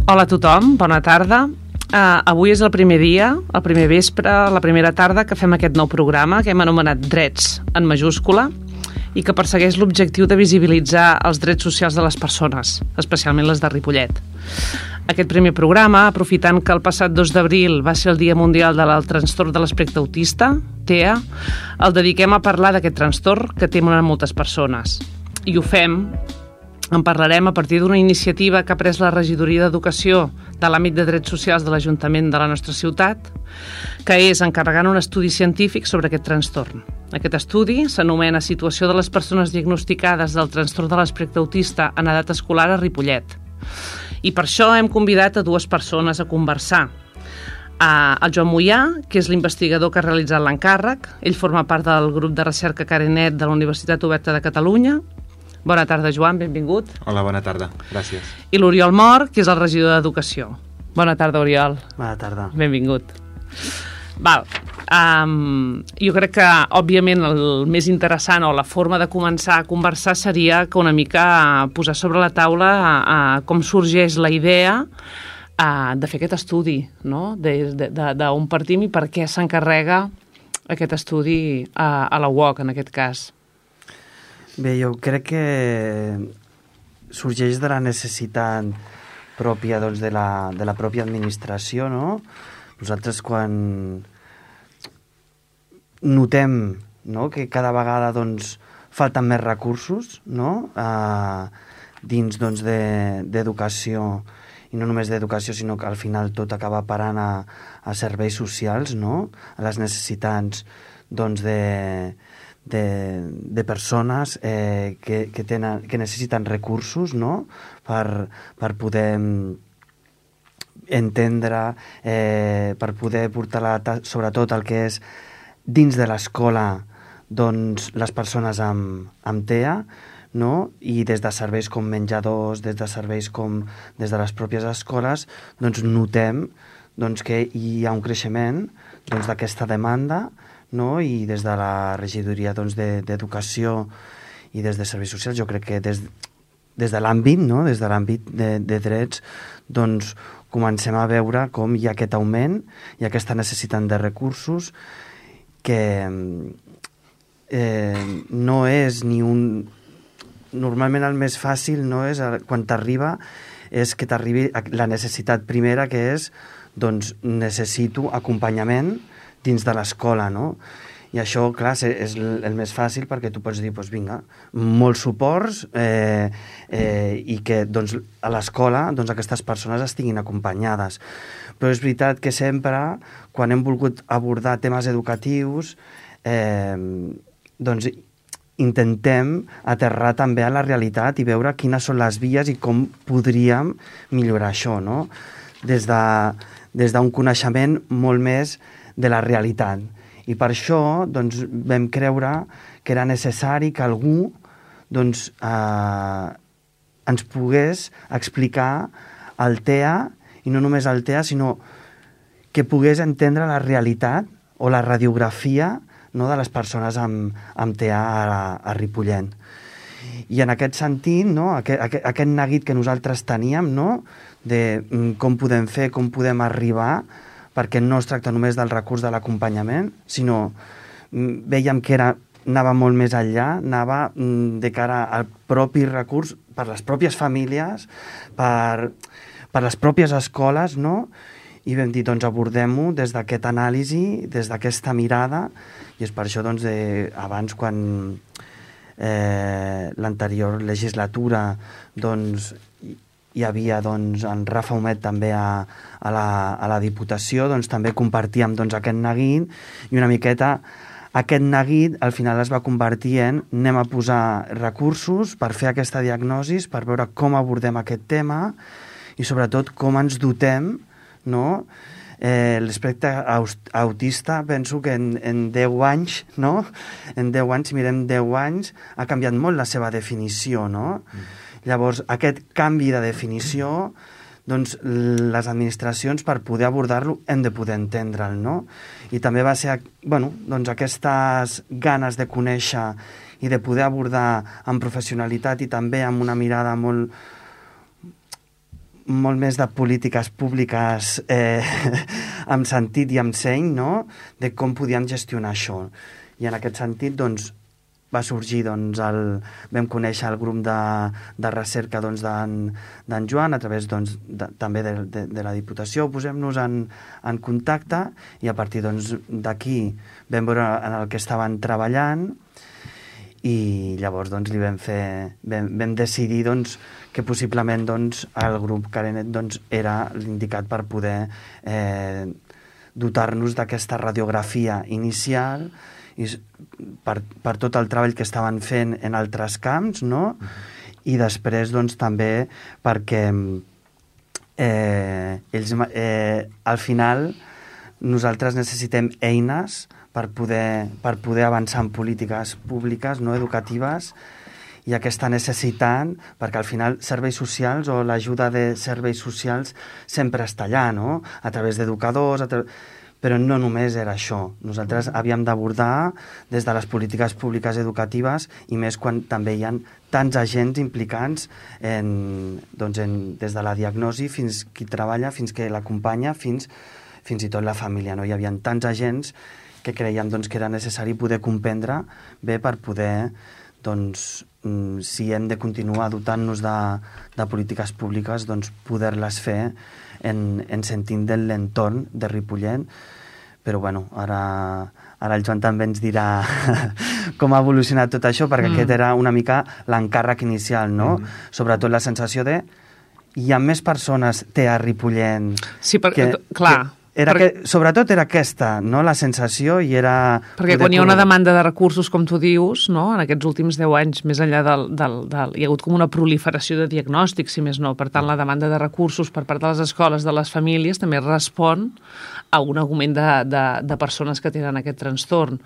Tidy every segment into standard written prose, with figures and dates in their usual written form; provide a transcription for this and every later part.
Hola a tothom, bona tarda. Avui és el primer dia, el primer vespre, la primera tarda que fem aquest nou programa que hem anomenat Drets en majúscula i que persegueix l'objectiu de visibilitzar els drets socials de les persones, especialment les de Ripollet. Aquest primer programa, aprofitant que el passat 2 d'abril va ser el Dia Mundial del Trastorn de l'Espectre Autista, TEA, el dediquem a parlar d'aquest trastorn que tenen moltes persones. I ho fem, en parlarem a partir d'una iniciativa que ha pres la Regidoria d'Educació de l'àmbit de drets socials de l'Ajuntament de la nostra ciutat, que és encarregant un estudi científic sobre aquest trastorn. Aquest estudi s'anomena Situació de les persones diagnosticades del trastorn de l'espectre autista en edat escolar a Ripollet. I per això hem convidat a 2 persones a conversar. El Joan Moià, que és l'investigador que ha realitzat l'encàrrec. Ell forma part del grup de recerca Carenet de la Universitat Oberta de Catalunya. Bona tarda, Joan, benvingut. Hola, bona tarda, gràcies. I l'Oriol Mor, que és el regidor d'Educació. Bona tarda, Oriol. Bona tarda. Benvingut. Jo crec que, òbviament, el més interessant o la forma de començar a conversar seria que una mica posar sobre la taula com sorgeix la idea de fer aquest estudi, no? D'on partim i per què s'encarrega aquest estudi a la UOC, en aquest cas. Bé, jo crec que sorgeix de la necessitat pròpia doncs, de la pròpia administració, no? Nosaltres quan notem, no?, que cada vegada doncs, falten més recursos, no?, dins doncs, d'educació, i no només d'educació, sinó que al final tot acaba parant a serveis socials, no?, a les necessitats doncs, de persones que necessiten recursos, no?, per poder entendre, per poder portar sobretot el que és dins de l'escola doncs, les persones amb TEA, no? I des de serveis com menjadors, des de serveis com des de les pròpies escoles, doncs notem doncs, que hi ha un creixement doncs, d'aquesta demanda, no? I des de la regidoria doncs, d'Educació i des de Serveis Socials, jo crec que des de l'àmbit, no? Des de l'àmbit de drets, doncs comencem a veure com hi ha aquest augment i aquesta necessitat de recursos que no és ni un... Normalment el més fàcil no és quan t'arriba, és que t'arribi la necessitat primera, que és doncs necessito acompanyament dins de l'escola, no? I això, clar, és el més fàcil perquè tu pots dir, doncs vinga, molts suports i que doncs, a l'escola doncs, aquestes persones estiguin acompanyades. Però és veritat que sempre, quan hem volgut abordar temes educatius, doncs intentem aterrar també a la realitat i veure quines són les vies i com podríem millorar això, no? Des d'un coneixement molt més de la realitat. I per això doncs, vam creure que era necessari que algú doncs, ens pogués explicar el TEA, i no només el TEA, sinó que pogués entendre la realitat o la radiografia, no, de les persones amb TEA a Ripollet. I en aquest sentit, no, aquest neguit que nosaltres teníem, no, de com podem fer, com podem arribar, perquè no es tracta només del recurs de l'acompanyament, sinó veiem que anava molt més enllà, anava de cara al propi recurs per les pròpies famílies, per les pròpies escoles, no? I vam dir, doncs abordem-ho des d'aquest anàlisi, des d'aquesta mirada, i és per això, doncs, abans, quan l'anterior legislatura, doncs, hi havia doncs, en Rafa Humet també a la Diputació, doncs també compartíem doncs, aquest neguit, i una miqueta aquest neguit al final es va convertir en anem a posar recursos per fer aquesta diagnosi, per veure com abordem aquest tema i sobretot com ens dotem, no? L'espectre autista, penso que en 10 anys, no? En 10 anys, si mirem 10 anys, ha canviat molt la seva definició, no? Llavors, aquest canvi de definició, doncs, les administracions, per poder abordar-lo, hem de poder entendre'l, no? I també va ser, bueno, doncs, aquestes ganes de conèixer i de poder abordar amb professionalitat i també amb una mirada molt molt més de polítiques públiques amb sentit i amb seny, no?, de com podíem gestionar això. I en aquest sentit, doncs, va sorgir, doncs, vam conèixer el grup de recerca d'en Joan a través, doncs, també de la Diputació. Posem-nos en contacte i a partir, doncs, d'aquí vam veure en el que estaven treballant i llavors, doncs, vam decidir, doncs, que possiblement, doncs, el grup Carenet, doncs, era l'indicat per poder dotar-nos d'aquesta radiografia inicial i per tot el treball que estaven fent en altres camps, no? I després, doncs, també perquè ells, al final, nosaltres necessitem eines per poder avançar en polítiques públiques, no educatives, i aquesta necessitat, perquè al final serveis socials o l'ajuda de serveis socials sempre està allà, no?, a través d'educadors, però no només era això. Nosaltres havíem d'abordar des de les polítiques públiques educatives i més quan també hi ha tants agents implicants des de la diagnosi fins qui treballa, fins que l'acompanya, fins i tot la família, no? Hi havia tants agents que creiem, doncs, que era necessari poder comprendre bé per poder, doncs, si hem de continuar dotant-nos de polítiques públiques, doncs poder-les fer en sentint de l'entorn de Ripollet. Però, bueno, ara el Joan també ens dirà com ha evolucionat tot això, perquè aquest era una mica l'encàrrec inicial, no? Sobretot la sensació de hi ha més persones a Ripollet. Sí, clar. Sobretot era aquesta, no?, la sensació, i era... Perquè quan hi ha una demanda de recursos, com tu dius, no?, en aquests últims 10 anys, més enllà hi ha hagut com una proliferació de diagnòstics, si més no. Per tant, la demanda de recursos per part de les escoles, de les famílies, també respon a un augment de persones que tenen aquest trastorn.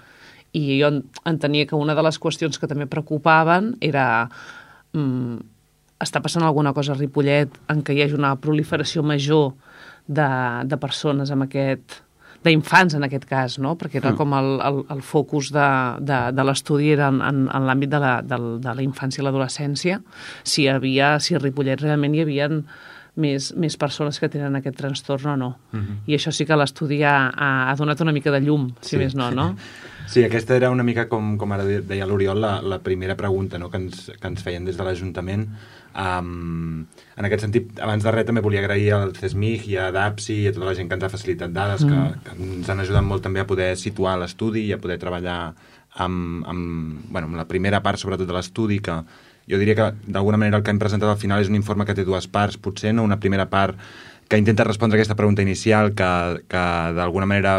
I jo entenia que una de les qüestions que també preocupaven era... està passant alguna cosa a Ripollet en què hi hagi una proliferació major de persones amb d'infants en aquest cas, no? Perquè era com el focus de l'estudi era en l'àmbit de la infància i l'adolescència, si a Ripollet realment hi havia més persones que tenen aquest trastorn o no. I això sí que l'estudi ha donat una mica de llum, si més no, no? Sí, aquesta era una mica, com ara deia l'Oriol, la primera pregunta, no?, que ens feien des de l'Ajuntament. En aquest sentit, abans de res també volia agrair al CESMIG i a DAPSI i a tota la gent que ens ha facilitat dades, que ens han ajudat molt també a poder situar l'estudi i a poder treballar amb la primera part, sobretot de l'estudi, que jo diria que d'alguna manera el que hem presentat al final és un informe que té dues parts, potser, no? Una primera part que intenta respondre a aquesta pregunta inicial que d'alguna manera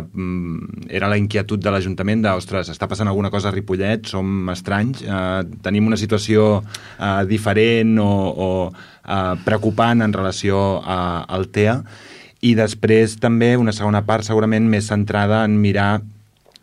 era la inquietud de l'Ajuntament de, ostres, està passant alguna cosa a Ripollet, som estranys, tenim una situació diferent o preocupant en relació al TEA, i després també una segona part segurament més centrada en mirar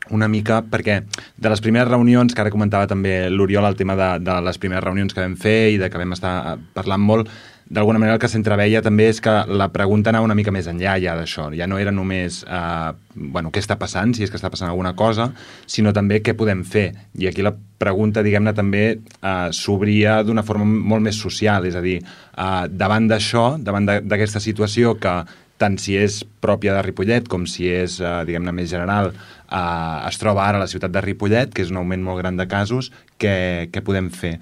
una mica, perquè de les primeres reunions, que ara comentava també l'Oriol el tema de les primeres reunions que vam fer i de que vam estar parlant molt, d'alguna manera el que s'entreveia també és que la pregunta anava una mica més enllà ja d'això. Ja no era només què està passant, si és que està passant alguna cosa, sinó també què podem fer. I aquí la pregunta, diguem-ne, també s'obria d'una forma molt més social, és a dir, davant d'això, davant d'aquesta situació que tant si és pròpia de Ripollet com si és, diguem-ne, més general, es troba ara a la ciutat de Ripollet, que és un augment molt gran de casos, què podem fer?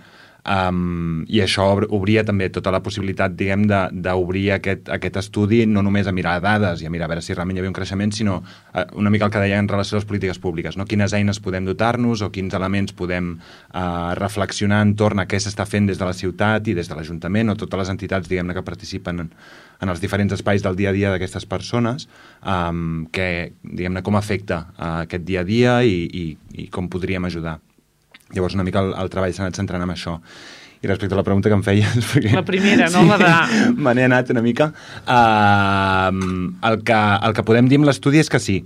I això obria també tota la possibilitat, diguem, d'obrir aquest estudi no només a mirar dades i a mirar a veure si realment hi havia un creixement, sinó una mica el que deia en relació a les polítiques públiques, no? Quines eines podem dotar-nos o quins elements podem reflexionar entorn a què s'està fent des de la ciutat i des de l'Ajuntament o totes les entitats, diguem-ne, que participen en els diferents espais del dia a dia d'aquestes persones, que, diguem-ne, com afecta aquest dia a dia i com podríem ajudar. Llavors una mica el treball s'ha anat centrant en això. I respecte a la pregunta que em feies... Perquè... La primera, no? La de... Me n'he anat una mica. El que podem dir amb l'estudi és que sí.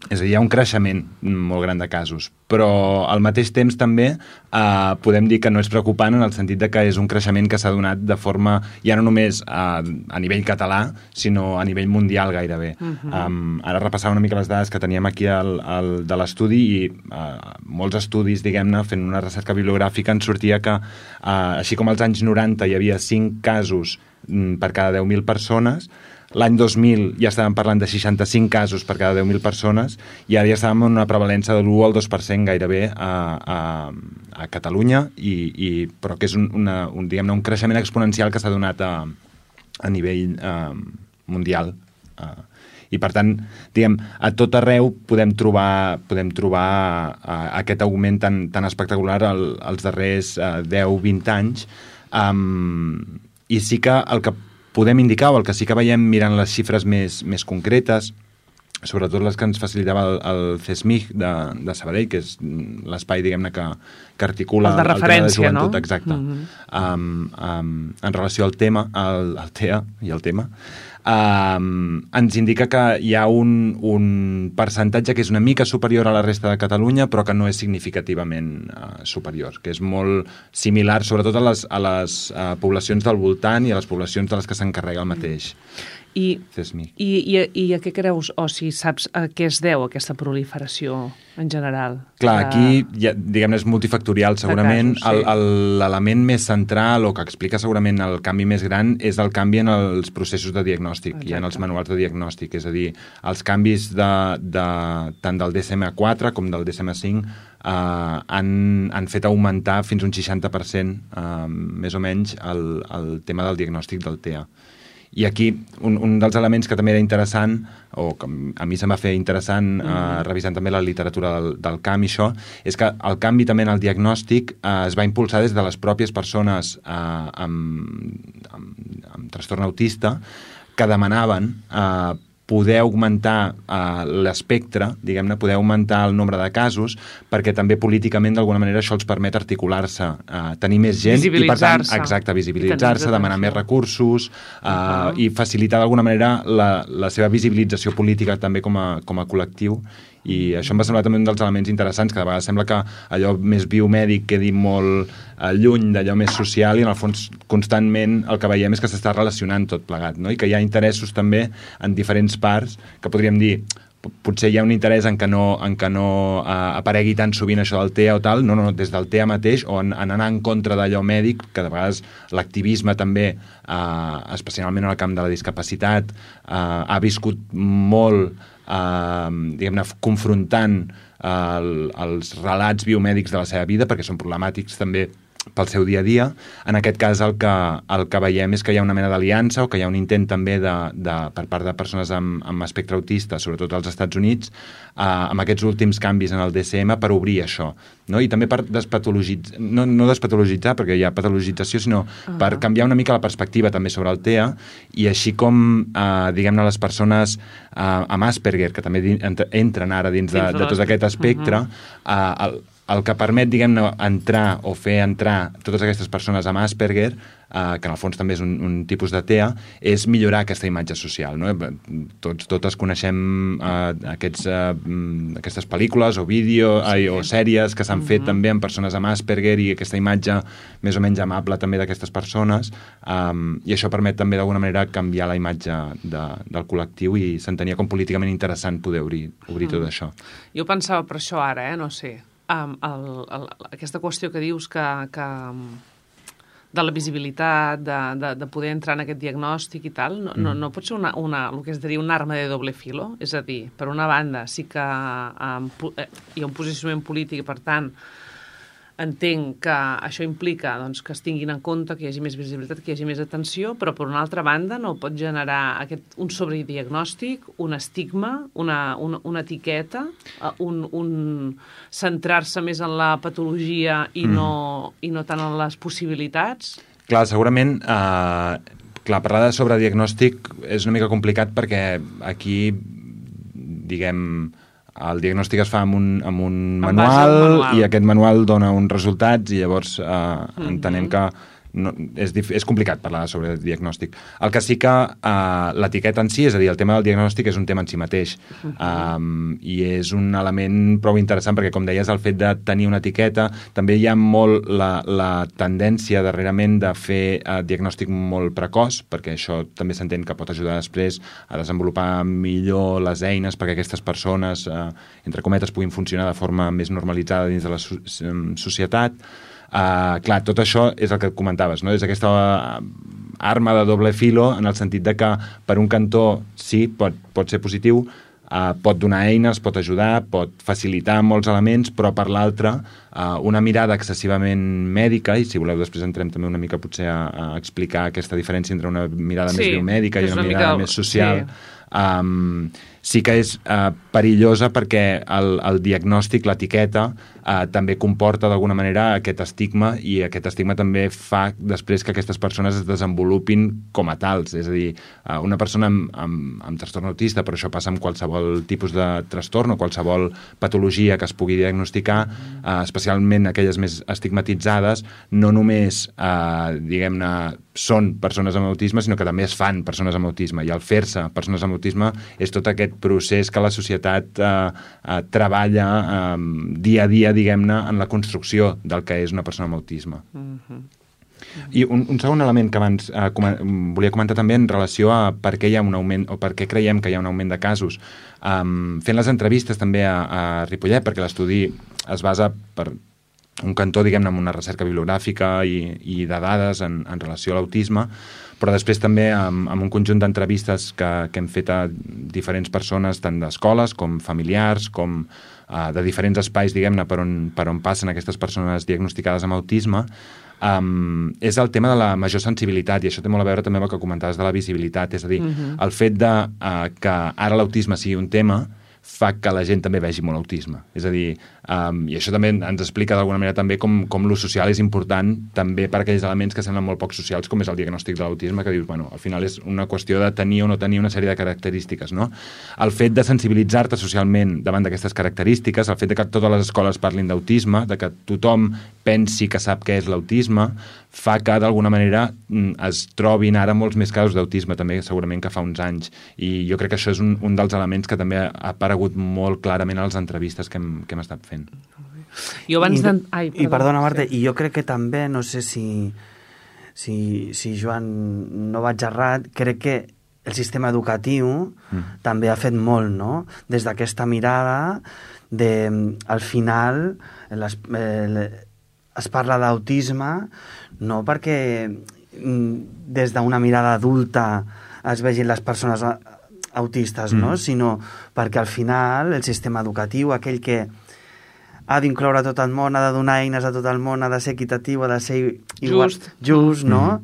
És a dir, hi ha un creixement molt gran de casos, però al mateix temps també podem dir que no és preocupant en el sentit de que és un creixement que s'ha donat de forma, ja no només a nivell català, sinó a nivell mundial gairebé. Ara repassava una mica les dades que teníem aquí de l'estudi i molts estudis, diguem-ne, fent una recerca bibliogràfica ens sortia que, així com als anys 90 hi havia 5 casos per cada 10.000 persones. L'any 2000 ja estàvem parlant de 65 casos per cada 10.000 persones i ara ja estàvem en una prevalença de l'1 al 2% gairebé a Catalunya, però que és diguem-ne, un creixement exponencial que s'ha donat a nivell mundial. I per tant, diguem, a tot arreu podem trobar aquest augment tan espectacular als darrers 10-20 anys. I sí que el que podem indicar, o el que sí que veiem mirant les xifres més concretes, sobretot les que ens facilitava el CESMIG de Sabadell, que és l'espai, diguem-ne, que articula el de referència, el tema de joventut, no? Exacte. En relació al tema, al TEA i al tema, ens indica que hi ha un percentatge que és una mica superior a la resta de Catalunya, però que no és significativament superior, que és molt similar, sobretot a les poblacions del voltant i a les poblacions de les que s'encarrega el mateix CESMIG. I a què creus, o si saps a què es deu aquesta proliferació en general? Clar, aquí, diguem-ne, és multifactorial, segurament. L'element més central, o que explica segurament el canvi més gran, és el canvi en els processos de diagnòstic i en els manuals de diagnòstic. És a dir, els canvis tant del DSM-4 com del DSM-5 han fet augmentar fins un 60%, més o menys, el tema del diagnòstic del TEA. I aquí, un dels elements que també era interessant, o que a mi se'm va fer interessant revisant també la literatura del camp i això, és que el canvi també en el diagnòstic es va impulsar des de les pròpies persones amb trastorn autista, que demanaven poder augmentar l'espectre, diguem-ne, poder augmentar el nombre de casos, perquè també políticament d'alguna manera això els permet articular-se, tenir més gent i per tant, exacte, visibilitzar-se, demanar més recursos i facilitar d'alguna manera la seva visibilització política també com a col·lectiu. I això em va semblar també un dels elements interessants, que de vegades sembla que allò més biomèdic quedi molt lluny d'allò més social i en el fons constantment el que veiem és que s'està relacionant tot plegat, no? I que hi ha interessos també en diferents parts que podríem dir potser hi ha un interès en que no aparegui tan sovint això del TEA o tal, no, des del TEA mateix o en anar en contra d'allò mèdic, que de vegades l'activisme també, especialment en el camp de la discapacitat, ha viscut molt diguem-ne, confrontant els relats biomèdics de la seva vida, perquè són problemàtics també pel seu dia a dia. En aquest cas el que veiem és que hi ha una mena d'aliança o que hi ha un intent també per part de persones amb espectre autista, sobretot als Estats Units, amb aquests últims canvis en el DSM per obrir això, no? I també per despatologitzar, no despatologitzar perquè hi ha patologització, sinó per canviar una mica la perspectiva també sobre el TEA i així com, diguem-ne, les persones amb Asperger, que també entren ara dins de tot aquest espectre, el que permet, diguem-ne, entrar o fer entrar totes aquestes persones amb Asperger, que en el fons també és un tipus de TEA, és millorar aquesta imatge social, no? Totes coneixem aquestes pel·lícules o o sèries que s'han fet també amb persones amb Asperger i aquesta imatge més o menys amable també d'aquestes persones, i això permet també d'alguna manera canviar la imatge del col·lectiu i s'entenia com políticament interessant poder obrir tot això. Jo pensava per això ara, no sé, aquesta qüestió que dius que de la visibilitat, de poder entrar en aquest diagnòstic i tal, no pot ser el que es diria una arma de doble filo? És a dir, per una banda sí que hi ha un posicionament polític i per tant entenc que això implica doncs, que es tinguin en compte, que hi hagi més visibilitat, que hi hagi més atenció, però per una altra banda no pot generar un sobrediagnòstic, un estigma, una etiqueta, centrar-se més en la patologia i no tant en les possibilitats? Clar, segurament parlar de sobrediagnòstic és una mica complicat perquè aquí, diguem, el diagnòstic es fa amb un manual i aquest manual dona uns resultats i llavors entenem que és complicat parlar sobre diagnòstic. El que sí que l'etiqueta en si, és a dir, el tema del diagnòstic és un tema en si mateix i és un element prou interessant perquè, com deies, el fet de tenir una etiqueta, també hi ha molt la tendència darrerament de fer diagnòstic molt precoç, perquè això també s'entén que pot ajudar després a desenvolupar millor les eines perquè aquestes persones, entre cometes, puguin funcionar de forma més normalitzada dins de la societat. Clar, tot això és el que comentaves, no? És aquesta arma de doble filo en el sentit de que per un cantó sí, pot ser positiu, pot donar eines, pot ajudar, pot facilitar molts elements, però per l'altre una mirada excessivament mèdica, i si voleu després entrem també una mica potser a explicar aquesta diferència entre una mirada més biomèdica i una mirada més social, sí que és perillosa perquè el diagnòstic, l'etiqueta, també comporta d'alguna manera aquest estigma, i aquest estigma també fa després que aquestes persones es desenvolupin com a tals. És a dir, una persona amb trastorn autista, però això passa amb qualsevol tipus de trastorn o qualsevol patologia que es pugui diagnosticar, especialment aquelles més estigmatitzades, no només, diguem-ne, són persones amb autisme, sinó que també es fan persones amb autisme, i al fer-se persones amb autisme és tot aquest procés que la societat treballa dia a dia, diguem-ne, en la construcció del que és una persona amb autisme. I un segon element que abans volia comentar també en relació a per què hi ha un augment, o per què creiem que hi ha un augment de casos. Fent les entrevistes també a Ripollet, perquè l'estudi es basa per un cantó, diguem-ne, amb una recerca bibliogràfica i de dades en relació a l'autisme, però després també amb un conjunt d'entrevistes que hem fet a diferents persones, tant d'escoles com familiars, com de diferents espais, diguem-ne, per on passen aquestes persones diagnosticades amb autisme, és el tema de la major sensibilitat, i això té molt a veure també amb el que comentaves de la visibilitat, és a dir, el fet de que ara l'autisme sigui un tema fa que la gent també vegi molt autisme. És a dir, i això també ens explica d'alguna manera també com l'ús social és important també per aquells elements que semblen molt poc socials, com és el diagnòstic de l'autisme, que dius, bueno, al final és una qüestió de tenir o no tenir una sèrie de característiques, no? El fet de sensibilitzar-te socialment davant d'aquestes característiques, el fet de que totes les escoles parlin d'autisme, de que tothom pensi que sap què és l'autisme, fa que d'alguna manera es trobin ara molts més casos d'autisme també segurament que fa uns anys, i jo crec que això és un dels elements que també ha aparegut molt clarament a les entrevistes que hem estat fent. Jo abans I perdona, Marta, i jo crec que també, no sé si Joan no vaig errat, crec que el sistema educatiu també ha fet molt, no? Des d'aquesta mirada al final es parla d'autisme no perquè des d'una mirada adulta es vegin les persones autistes, no? Sinó perquè al final el sistema educatiu, aquell que ha d'incloure tot el món, ha de donar eines a tot el món, ha de ser equitatiu, ha de ser just, no?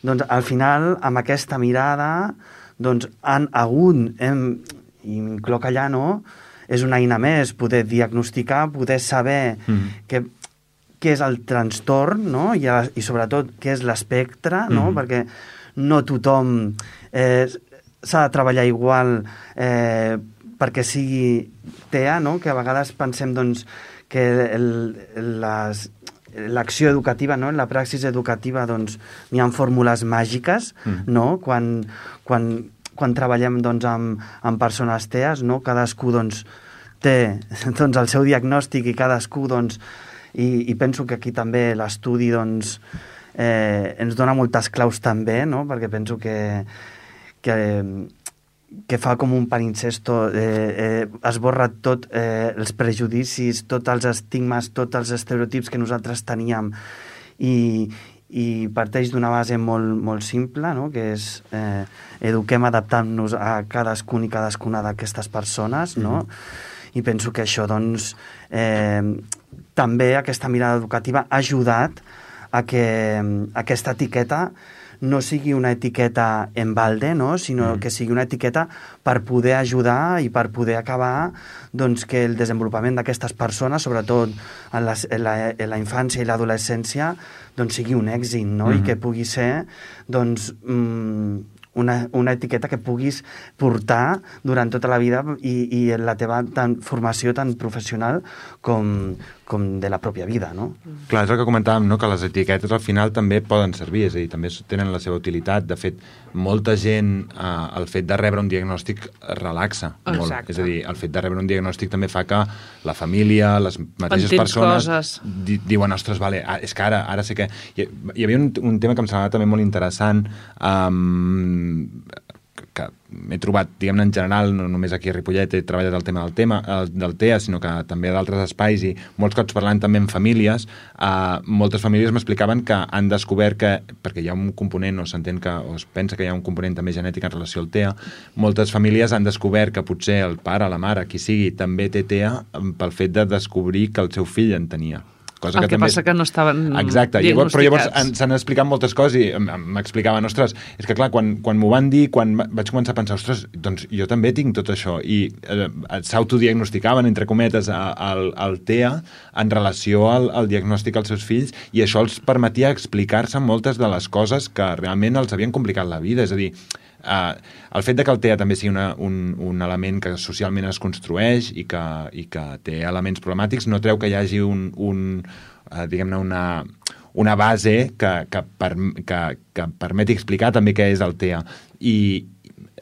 Doncs al final, amb aquesta mirada, doncs han hagut, i m'incloc allà, no? És una eina més, poder diagnosticar, poder saber què és el trastorn, no? I sobretot què és l'espectre, no? Perquè no tothom s'ha de treballar igual perquè sigui TEA, no? Que a vegades pensem, doncs, que l'acció educativa, no? En la praxis educativa, doncs, n'hi ha fórmules màgiques, no? Quan treballem, doncs, amb persones TEAs, no? Cadascú, doncs, té doncs, el seu diagnòstic i cadascú, doncs, i penso que aquí també l'estudi, doncs, ens dona moltes claus també, no? Perquè penso que fa com un palincesto, esborra tot els prejudicis, tots els estigmes, tots els estereotips que nosaltres teníem, i parteix d'una base molt, molt simple, no? Que és eduquem adaptant-nos a cadascun i cadascuna d'aquestes persones, no? I penso que això, doncs, també aquesta mirada educativa ha ajudat a que aquesta etiqueta no sigui una etiqueta en balde, no? Sinó que sigui una etiqueta per poder ajudar i per poder acabar, doncs, que el desenvolupament d'aquestes persones, sobretot en la infància i l'adolescència, doncs, sigui un èxit, no? I que pugui ser, doncs, una etiqueta que puguis portar durant tota la vida i en la teva formació tan professional com de la pròpia vida, no? Clar, és el que comentàvem, no? Que les etiquetes al final també poden servir, és a dir, també tenen la seva utilitat. De fet, molta gent, el fet de rebre un diagnòstic relaxa molt. Exacte. És a dir, el fet de rebre un diagnòstic també fa que la família, les mateixes persones diuen, ostres, vale, és que ara sé que... Hi havia un tema que em semblava també molt interessant, m'he trobat, diguem-ne, en general, no només aquí a Ripollet he treballat el tema del TEA, sinó que també a d'altres espais i molts cops parlant també amb famílies, moltes famílies m'explicaven que han descobert que, perquè hi ha un component, o s'entén que, o es pensa que hi ha un component també genètic en relació al TEA, moltes famílies han descobert que potser el pare, la mare, qui sigui, també té TEA pel fet de descobrir que el seu fill en tenia. Cosa el que també passa que no estaven diagnosticats. Però llavors s'han explicat moltes coses i m'explicaven, ostres, és que clar, quan m'ho van dir, quan vaig començar a pensar, ostres, doncs jo també tinc tot això, i s'autodiagnosticaven, entre cometes, el TEA en relació al diagnòstic als seus fills, i això els permetia explicar-se moltes de les coses que realment els havien complicat la vida, és a dir, el fet de que el TEA també sigui un element que socialment es construeix i que té elements problemàtics no treu que hi hagi diguem-ne una base que permeti explicar també què és el TEA i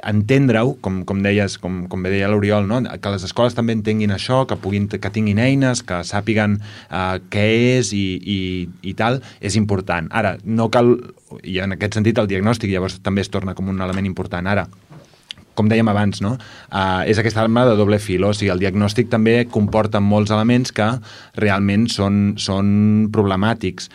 entendre-ho, com deies, com bé deia l'Oriol, no? Que les escoles també entenguin això, que tinguin eines, que sàpiguen què és i tal, és important. Ara, no cal, i en aquest sentit el diagnòstic llavors també es torna com un element important. Ara, com dèiem abans, no? És aquesta arma de doble fil, o sigui, el diagnòstic també comporta molts elements que realment són problemàtics.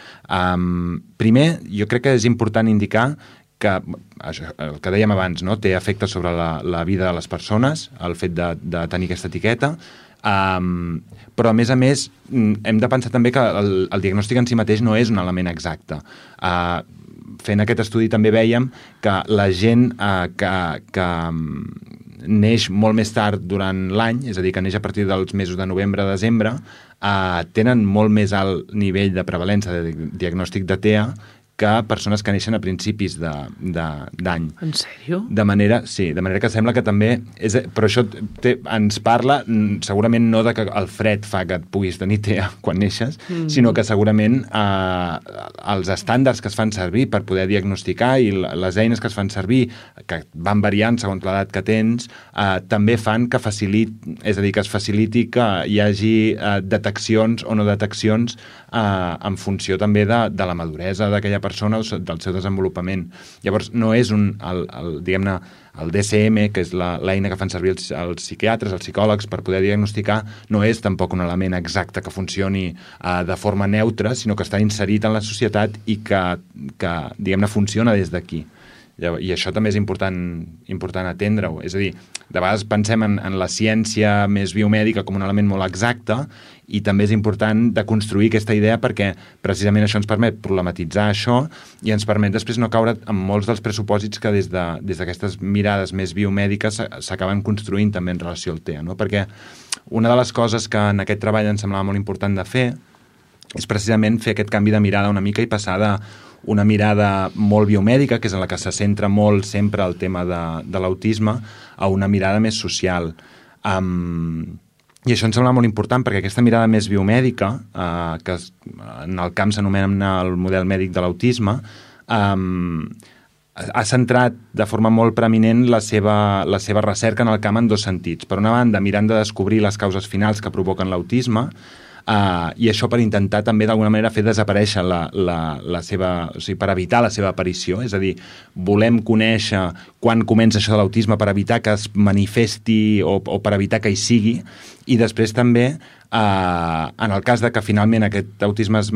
Primer, jo crec que és important indicar que, això, el que dèiem abans, no? Té efectes sobre la vida de les persones, el fet de tenir aquesta etiqueta, però a més hem de pensar també que el diagnòstic en si mateix no és un element exacte. Fent aquest estudi també vèiem que la gent que neix molt més tard durant l'any, és a dir, que neix a partir dels mesos de novembre a desembre, tenen molt més alt nivell de prevalença de diagnòstic de TEA que persones que neixen a principis d'any. En sèrio? De manera que sembla que també... Però això ens parla segurament no de que el fred fa que et puguis tenir TEA quan neixes, sinó que segurament els estàndards que es fan servir per poder diagnosticar i les eines que es fan servir, que van variant segons l'edat que tens, també fan que és a dir, que es faciliti que hi hagi deteccions o no deteccions en funció també de la maduresa d'aquella persona o del seu desenvolupament. Llavors, no és diguem-ne, el DSM, que és l'eina que fan servir els psiquiatres, els psicòlegs, per poder diagnosticar, no és tampoc un element exacte que funcioni de forma neutra, sinó que està inserit en la societat i que diguem-ne, funciona des d'aquí. I això també és important atendre-ho. És a dir, de vegades pensem en la ciència més biomèdica com un element molt exacte i també és important de construir aquesta idea perquè precisament això ens permet problematitzar això i ens permet després no caure en molts dels pressupòsits que des d'aquestes mirades més biomèdiques s'acaben construint també en relació al TEA, no? Perquè una de les coses que en aquest treball em semblava molt important de fer és precisament fer aquest canvi de mirada una mica i passar d'una mirada molt biomèdica, que és en la que se centra molt sempre el tema de l'autisme, a una mirada més social. I això em sembla molt important perquè aquesta mirada més biomèdica, que en el camp s'anomena el model mèdic de l'autisme, ha centrat de forma molt preeminent la seva recerca en el camp en dos sentits. Per una banda, mirant de descobrir les causes finals que provoquen l'autisme, i això per intentar també d'alguna manera fer desaparèixer la seva, o sigui, per evitar la seva aparició, és a dir, volem conèixer quan comença això de l'autisme per evitar que es manifesti o per evitar que hi sigui, i després també en el cas de que finalment aquest autisme es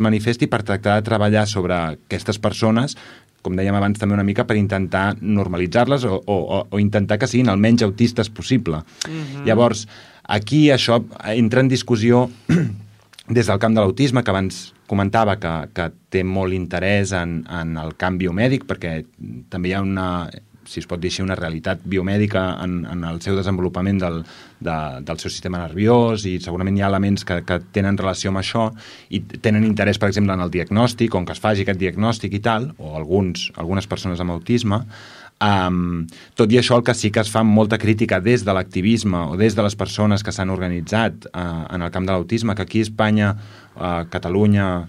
manifesti per tractar de treballar sobre aquestes persones, com dèiem abans també una mica, per intentar normalitzar-les o intentar que siguin el menys autistes possible. Llavors, aquí això entra en discussió des del camp de l'autisme, que abans comentava que té molt interès en el camp biomèdic, perquè també hi ha si es pot dir així, una realitat biomèdica en el seu desenvolupament del seu sistema nerviós, i segurament hi ha elements que tenen relació amb això i tenen interès, per exemple, en el diagnòstic, on que es faci aquest diagnòstic i tal, o algunes persones amb autisme. Tot i això, el que sí que es fa molta crítica des de l'activisme o des de les persones que s'han organitzat en el camp de l'autisme, que aquí a Espanya, a Catalunya,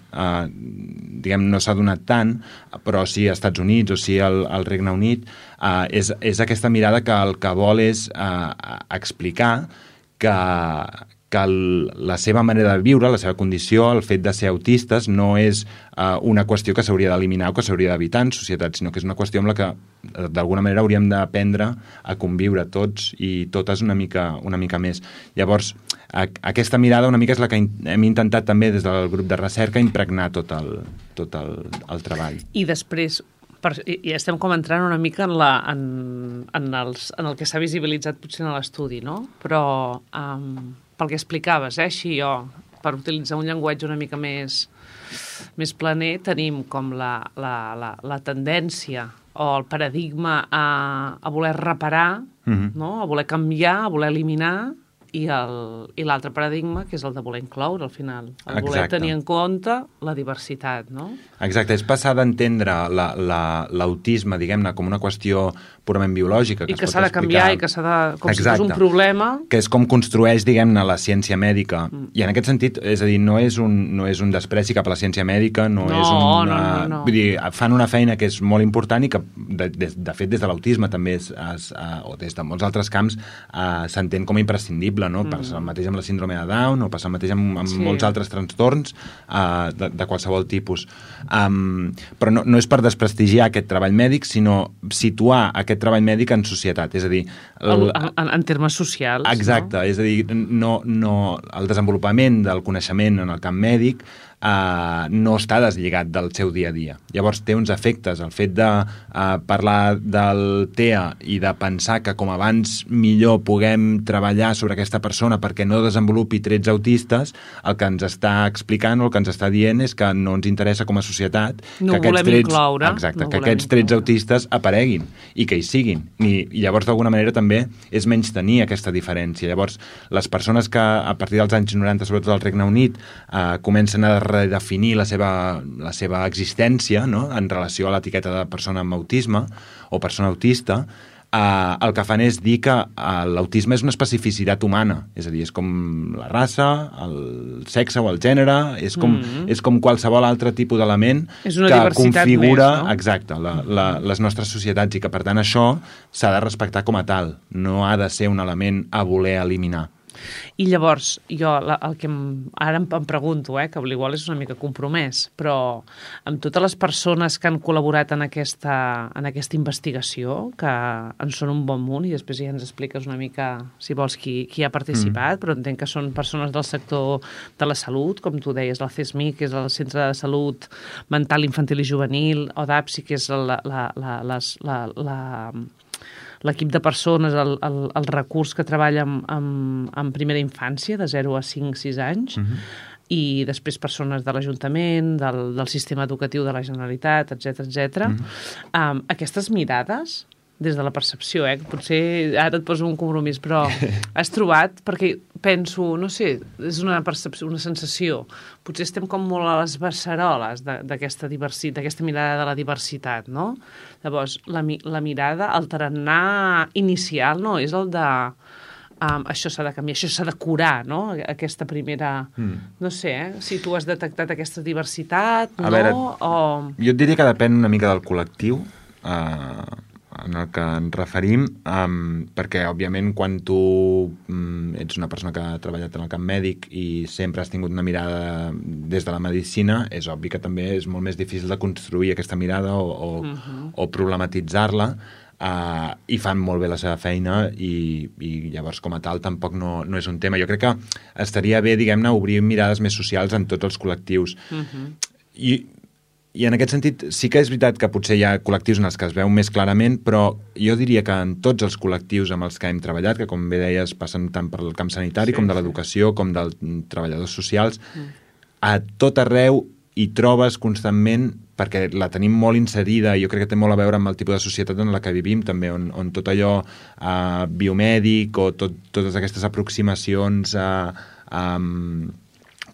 diguem, no s'ha donat tant, però sí als Estats Units o sí al Regne Unit, és aquesta mirada que el que vol és explicar que que la seva manera de viure, la seva condició, el fet de ser autistes, no és una qüestió que s'hauria d'eliminar o que s'hauria d'evitar en societat, sinó que és una qüestió amb la que d'alguna manera hauríem d'aprendre a conviure tots i totes una mica més. Llavors, aquesta mirada una mica és la que hem intentat també des del grup de recerca impregnar tot el treball. I després, ja estem com entrant una mica en el que s'ha visibilitzat potser en l'estudi, no? Però pel que explicaves, així jo, per utilitzar un llenguatge una mica més planer, tenim com la tendència o el paradigma a voler reparar, no? A voler canviar, a voler eliminar, i l'altre paradigma, que és el de voler incloure, al final. El voler tenir en compte la diversitat, no? Exacte, és passar d'entendre l'autisme, diguem-ne, com una qüestió purament biològica. I que s'ha de canviar i que s'ha de... com si fos un problema. Que és com construeix, diguem-ne, la ciència mèdica. I en aquest sentit, és a dir, no és un despreci cap a la ciència mèdica, no. Vull dir, fan una feina que és molt important i que, de fet, des de l'autisme també o des de molts altres camps s'entén com a imprescindible, no? Passa el mateix amb la síndrome de Down o passa el mateix amb molts altres trastorns de qualsevol tipus. Però no és per desprestigiar aquest treball mèdic, sinó situar aquest treball mèdic en societat, és a dir... En termes socials. Exacte, no? És a dir, el desenvolupament del coneixement en el camp mèdic no està deslligat del seu dia a dia. Llavors té uns efectes. El fet de parlar del TEA i de pensar que com abans millor puguem treballar sobre aquesta persona perquè no desenvolupi trets autistes, el que ens està explicant o el que ens està dient és que no ens interessa com a societat que aquests trets autistes apareguin i que hi siguin. I llavors d'alguna manera també és menystenir aquesta diferència. Llavors les persones que a partir dels anys 90, sobretot al Regne Unit, comencen a redefinir la seva existència, no?, en relació a l'etiqueta de persona amb autisme o persona autista, el que fan és dir que l'autisme és una especificitat humana, és a dir, és com la raça, el sexe o el gènere, és com qualsevol altre tipus d'element que configura més, no? Exacte, les nostres societats, i que per tant això s'ha de respectar com a tal, no ha de ser un element a voler eliminar. I llavors, jo el que ara em pregunto, que igual és una mica compromès, però amb totes les persones que han col·laborat en aquesta investigació, que en són un bon munt, i després ja ens expliques una mica, si vols, qui ha participat, però entenc que són persones del sector de la salut, com tu deies, el CESMIC, que és el Centre de Salut Mental Infantil i Juvenil, o DAPSI, que és l'equip de persones, el recurs que treballa en primera infància, de 0 a 5-6 anys, i després persones de l'Ajuntament, del sistema educatiu de la Generalitat, etc. Aquestes mirades, des de la percepció, potser ara et poso un compromís, però has trobat, perquè penso, no sé, és una percepció, una sensació, potser estem com molt a les beceroles d'aquesta mirada de la diversitat, no? Llavors, la mirada, el tarannà inicial, no? És el de això s'ha de canviar, això s'ha de curar, no? Aquesta primera... No sé, si tu has detectat aquesta diversitat, no? A veure, jo et diria que depèn una mica del col·lectiu, en el que ens referim, perquè, òbviament, quan tu ets una persona que ha treballat en el camp mèdic i sempre has tingut una mirada des de la medicina, és obvi que també és molt més difícil de construir aquesta mirada o problematitzar-la, i fan molt bé la seva feina i llavors, com a tal, tampoc no és un tema. Jo crec que estaria bé, diguem-ne, obrir mirades més socials en tots els col·lectius. I en aquest sentit sí que és veritat que potser hi ha col·lectius en els que es veu més clarament, però jo diria que en tots els col·lectius amb els que hem treballat, que com bé deies passen tant per el camp sanitari com de l'educació, com dels treballadors socials, a tot arreu hi trobes constantment, perquè la tenim molt inserida i jo crec que té molt a veure amb el tipus de societat en la que vivim també, on tot allò biomèdic o totes aquestes aproximacions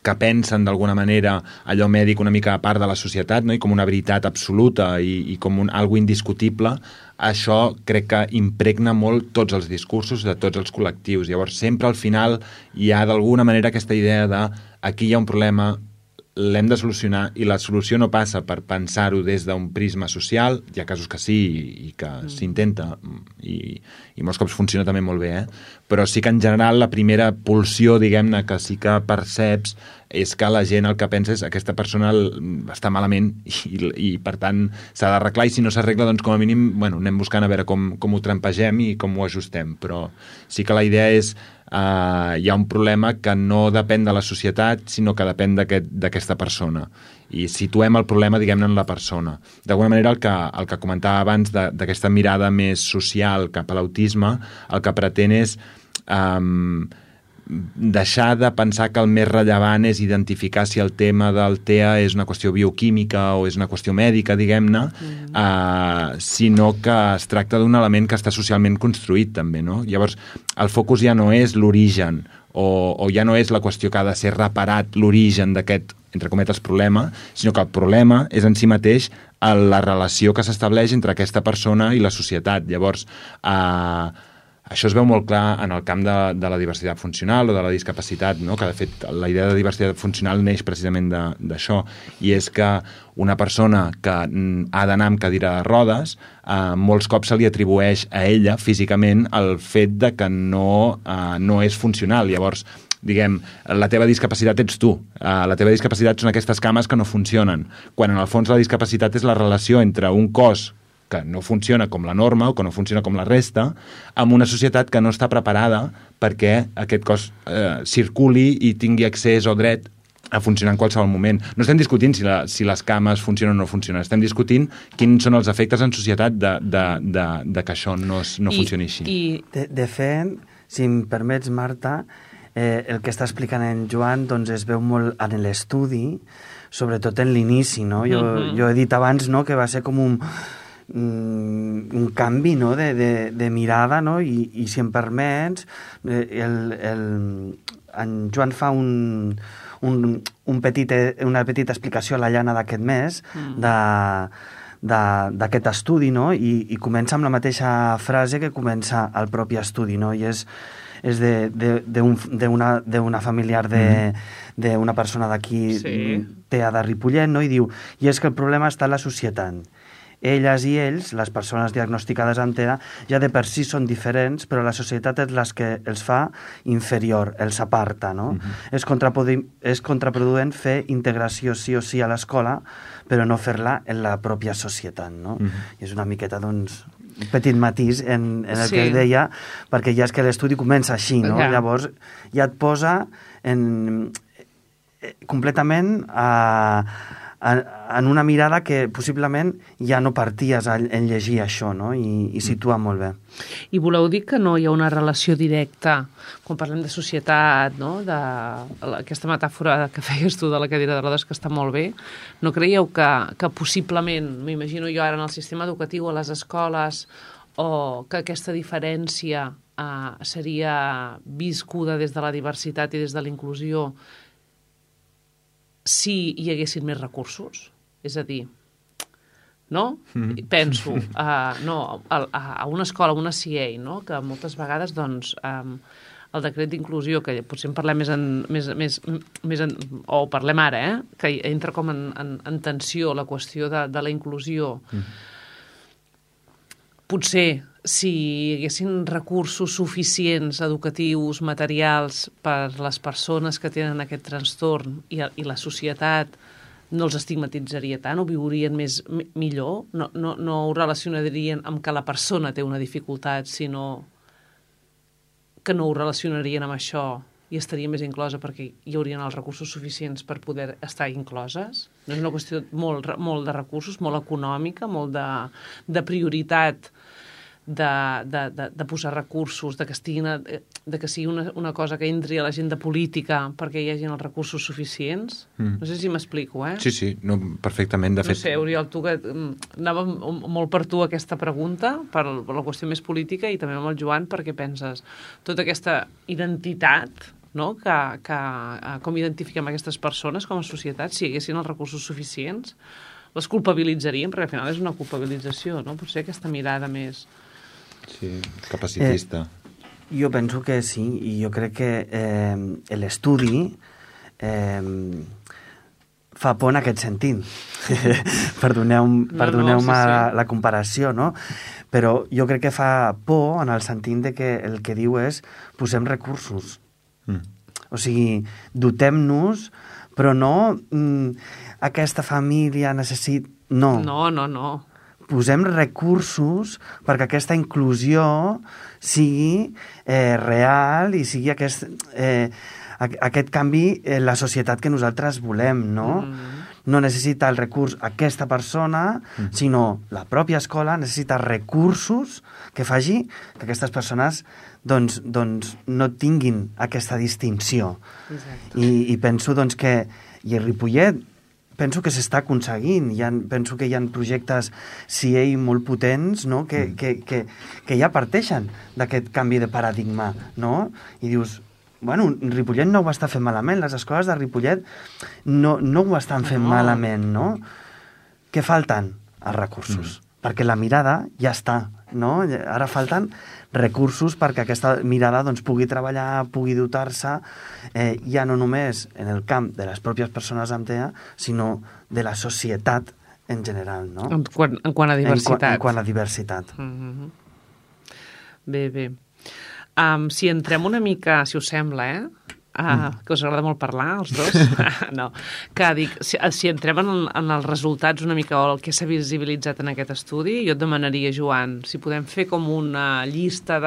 que pensen d'alguna manera allò mèdic una mica a part de la societat, no? I com una veritat absoluta i com algo indiscutible, això crec que impregna molt tots els discursos de tots els col·lectius. Llavors sempre al final hi ha d'alguna manera aquesta idea de aquí hi ha un problema, l'hem de solucionar, i la solució no passa per pensar-ho des d'un prisma social, hi ha casos que sí i que s'intenta, i molts cops funciona també molt bé, però sí que en general la primera pulsió, diguem-ne, que sí que perceps és que la gent el que pensa és aquesta persona està malament i per tant s'ha d'arreglar, i si no s'arregla, doncs com a mínim anem buscant a veure com ho trampegem i com ho ajustem, però sí que la idea és hi ha un problema que no depèn de la societat, sinó que depèn d'aquesta persona. I situem el problema, diguem-ne, en la persona. D'alguna manera, el que comentava abans d'aquesta mirada més social cap a l'autisme, el que pretén és deixar de pensar que el més rellevant és identificar si el tema del TEA és una qüestió bioquímica o és una qüestió mèdica, diguem-ne, sinó que es tracta d'un element que està socialment construït també, no? Llavors, el focus ja no és l'origen o ja no és la qüestió que ha de ser reparat l'origen d'aquest, entre cometes, problema, sinó que el problema és en si mateix la relació que s'estableix entre aquesta persona i la societat. Llavors, això es veu molt clar en el camp de la diversitat funcional o de la discapacitat, no? Que de fet la idea de diversitat funcional neix precisament d'això, i és que una persona que ha d'anar amb cadira de rodes, molts cops se li atribueix a ella físicament el fet de que no és funcional. Llavors, diguem, la teva discapacitat ets tu, la teva discapacitat són aquestes cames que no funcionen, quan en el fons la discapacitat és la relació entre un cos que no funciona com la norma o que no funciona com la resta, amb una societat que no està preparada perquè aquest cos circuli i tingui accés o dret a funcionar en qualsevol moment. No estem discutint si les cames funcionen o no funcionen, estem discutint quins són els efectes en societat de que això no funcioni així. De fet, si em permets, Marta, el que està explicant en Joan doncs es veu molt en l'estudi, sobretot en l'inici, no? Jo he dit abans, no?, que va ser com un canvi, no?, de mirada, no? I si em permets, en Joan fa una petita explicació a la llana d'aquest mes d'aquest estudi, no? I comença amb la mateixa frase que comença el propi estudi, no? I és d'una familiar d'una persona d'aquí, TEA de Ripollet, no? I diu, i és que el problema està en la societat. Elles i ells, les persones diagnosticades amb TEA, ja de per si són diferents, però la societat és la que els fa inferior, els aparta, no? És contraproduent fer integració sí o sí a l'escola, però no fer-la en la pròpia societat, no? I és una miqueta, doncs, un petit matís en el que ell deia, perquè ja és que l'estudi comença així, no? Llavors ja et posa completament en una mirada que possiblement ja no parties en llegir això, no? I situa molt bé. I voleu dir que no hi ha una relació directa, quan parlem de societat, no?, d'aquesta metàfora que feies tu de la cadira de rodes, que està molt bé, no creieu que possiblement, m'imagino jo ara en el sistema educatiu, a les escoles, o que aquesta diferència seria viscuda des de la diversitat i des de la inclusió si hi haguessin més recursos? És a dir, no? Penso a una escola, a una CIE, no?, que moltes vegades, doncs, el decret d'inclusió, que potser en parlem o parlem ara, que entra com en tensió la qüestió de la inclusió. Potser, si hi haguessin recursos suficients, educatius, materials, per les persones que tenen aquest trastorn i la societat no els estigmatitzaria tant, ho viurien millor, no ho relacionarien amb que la persona té una dificultat, sinó que no ho relacionarien amb això i estaria més inclosa perquè hi haurien els recursos suficients per poder estar incloses. No és una qüestió molt de recursos, molt econòmica, molt de prioritat, de posar recursos, de que sigui una cosa que entri a l'agenda política perquè hi hagi els recursos suficients. No sé si m'explico, Sí, no, perfectament, de fet. No sé, Oriol, tu que anava molt per tu aquesta pregunta, per la qüestió més política, i també amb el Joan, perquè penses tota aquesta identitat, no?, com identifiquem aquestes persones com a societat, si hi haguessin els recursos suficients, les culpabilitzaríem, perquè al final és una culpabilització, no? Potser aquesta mirada més... Sí, capacitista. Jo penso que sí, i jo crec que l'estudi fa por en aquest sentit. Perdoneu-me la comparació, no? Però jo crec que fa por en el sentit de que el que diu és posem recursos. O sigui, dotem-nos, però no aquesta família necessita... No. No. Posem recursos perquè aquesta inclusió sigui real i sigui aquest canvi en la societat que nosaltres volem, no? No necessita el recurs aquesta persona, sinó la pròpia escola necessita recursos que faci que aquestes persones doncs no tinguin aquesta distinció. I penso doncs, que i a Ripollet penso que s'està aconseguint. Penso que hi ha projectes CIE molt potents, no? que ja parteixen d'aquest canvi de paradigma. No? I dius, bueno, Ripollet no ho està fent malament, les escoles de Ripollet no ho estan fent malament, no? Què falten? Els recursos. Perquè la mirada ja està, no? Ara falten recursos perquè aquesta mirada doncs, pugui treballar, pugui dotar-se, ja no només en el camp de les pròpies persones amb TEA, sinó de la societat en general, no? En quant a diversitat. En quant a diversitat. Bé. Si entrem una mica, si us sembla, que us agrada molt parlar, els dos, no, que dic, si entrem en els resultats una mica o el que s'ha visibilitzat en aquest estudi, jo et demanaria, Joan, si podem fer com una llista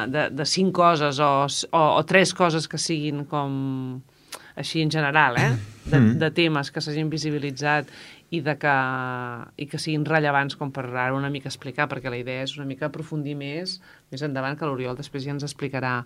de 5 coses o 3 coses que siguin com així en general, de temes que s'hagin visibilitzat i que siguin rellevants com per ara una mica explicar, perquè la idea és una mica aprofundir més endavant, que l'Oriol després ja ens explicarà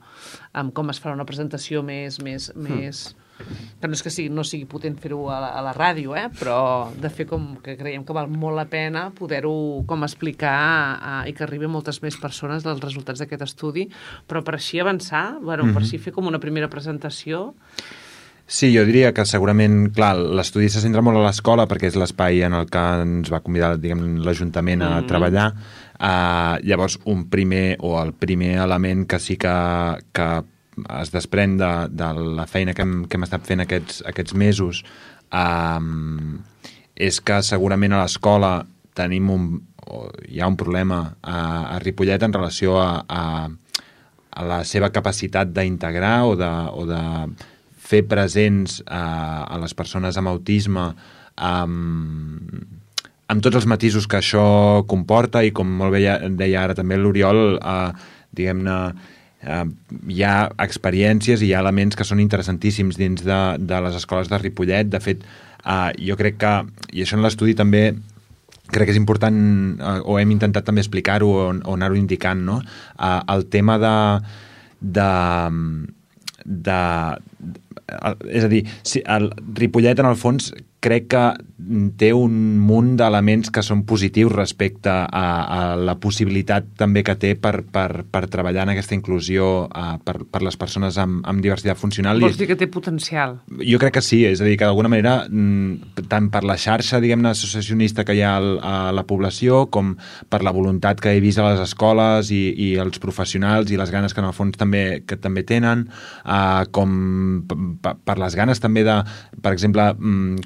com es farà una presentació més que no és que no sigui potent fer-ho a la ràdio, però de fer com que creiem que val molt la pena poder-ho com explicar i que arribi a moltes més persones dels resultats d'aquest estudi, però per així avançar, per així fer com una primera presentació. Sí, jo diria que segurament, clar, l'estudi se centra molt a l'escola perquè és l'espai en el que ens va convidar, diguem, l'Ajuntament a treballar. Llavors, el primer element que sí que es desprèn de la feina que hem estat fent aquests mesos és que segurament a l'escola hi ha un problema a Ripollet en relació a la seva capacitat d'integrar o de fer presents a les persones amb autisme amb tots els matisos que això comporta i com molt bé deia ara també l'Oriol, diguem-ne, hi ha experiències i hi ha elements que són interessantíssims dins de les escoles de Ripollet. De fet, jo crec que, i això en l'estudi també crec que és important, o hem intentat també explicar-ho o anar-ho indicant, no? El tema és a dir, el Ripollet en el fons crec que té un munt d'elements que són positius respecte a la possibilitat també que té per treballar en aquesta inclusió per les persones amb diversitat funcional. Vols dir que té potencial? Jo crec que sí, és a dir, que d'alguna manera tant per la xarxa, diguem-ne, associacionista que hi ha a la població com per la voluntat que he vist a les escoles i els professionals i les ganes que en el fons també tenen, com per les ganes també de, per exemple,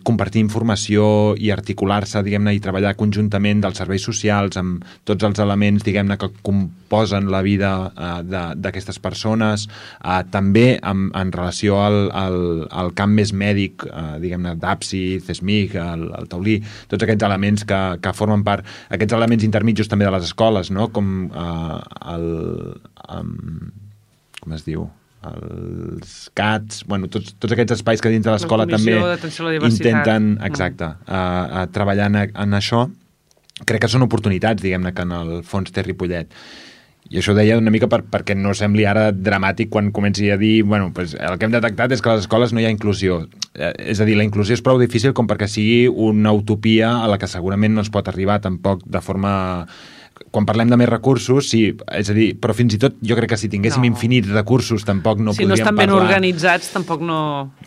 compartir informació i articular-se, diguem-ne, i treballar conjuntament dels serveis socials amb tots els elements, diguem-ne, que composen la vida d'aquestes persones, també en relació al camp més mèdic, diguem-ne, d'APSI, CESMIC, el taulí, tots aquests elements que formen part, aquests elements intermitjos també de les escoles, no? Com com es diu? Els CATs, bueno, tots aquests espais que dins de l'escola també intenten, exacte, treballar en això. Crec que són oportunitats, diguem-ne, que en el fons té Ripollet. I això ho deia una mica perquè no sembli ara dramàtic quan comenci a dir, bueno, pues el que hem detectat és que a les escoles no hi ha inclusió. És a dir, la inclusió és prou difícil com perquè sigui una utopia a la que segurament no es pot arribar tampoc de forma quan parlem de més recursos, sí, és a dir, però fins i tot jo crec que si tinguéssim infinits recursos tampoc no podríem parlar. Si no estan ben organitzats tampoc no...